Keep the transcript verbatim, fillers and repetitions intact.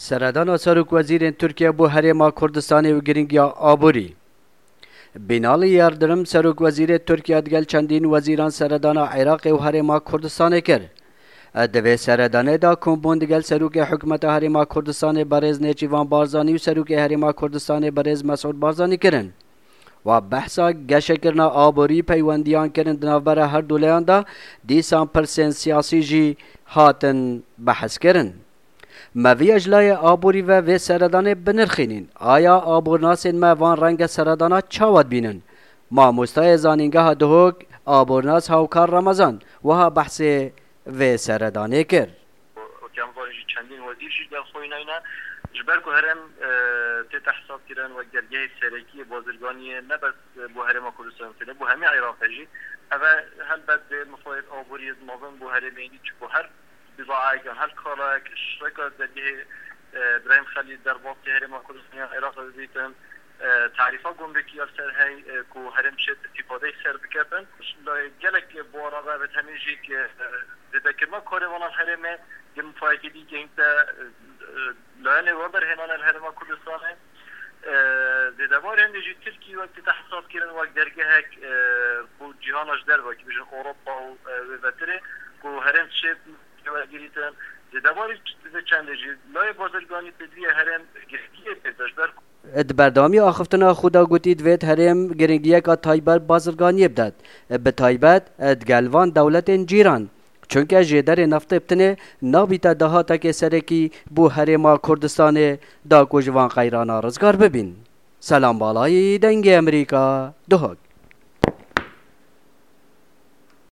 Seredana Serokwezîrên Tirkiye bo Herêma Kurdistanê û giringiya aborî. Binalî Yerdirim, Serokwezîrê Tirkiye digel çendîn wezîran seredana Iraqê û Herêma Kurdistanê kir. Di vê seredanê de kombûn digel Serokê Hikûmeta Herêma Kurdistanê Berêz Nêçîvan Barzanî û Serokê Herêma Kurdistanê Berêz Mesûd Barzanî kirin. Wa behsa geşekirina aborî peywendiyan kirin di navbera her du layan de, dîsan pirsên siyasî jî hatin behs kirin. Me viya ji layê aborî ve vê seredanê binirxînîn. Aya abornasên me van renge seredana çawa dibînin? Mamostayê Zanîngeha Duhok, abornas Hawkar Ramazan, wiha behsê vê seredanê kir. Wekî em zanîn jî çendîn wezîr jî gel xwe nayne. Ji ber ku herêm, e, tête hesabkirin wek dergehê serekî yê bazirganiyê ne bes bo Herêma Kurdistanê, bo hemî Iraqê jî. Ev e helbet dê mixwayet aboriyê mezin bo herêmê yî, çi ku her bizaayek yan her kalayek ji rêka dergehê, e, Birahîm Xelîl derbasî Herêma Kurdistanê yan Iraqê bibîtin, e, tarîfa gumrikî ya li ser hey, e, ku herêm şêt îstîfadeyê ser biketin. Gelek bo arada ve tenê jî ki, e, zêdekirina karê vanan herêmê, di mifayekî dî gehînte, e, e, layanê we berhênane li Herêma Kurdistanê. E, zêdebarê hindê jî Tirkî wek tête hesab kirin wek dergehek, e, ku cîhana ji derve, ki bijin Ewropa û, e, wê vetirê, ku herêm şêt wergirîtin. Zêdebarî vê çendê jî layê bazirganî pêdivî ye herêm girtiyê pê de ji ber ku Di berdewamiya axiftina xwe de gotî, divêt herêm giringiyeka taybet bazirganiyê bidet, bi taybet digel van dewletên cîran. Çunke jêderê neftê bi tinê nabîte dahatekê serekî bo Herêma Kurdistanê da ku ji van qeyrana rizgar bibîn. Selam Balayî, Dengê Amerîka, Duhok.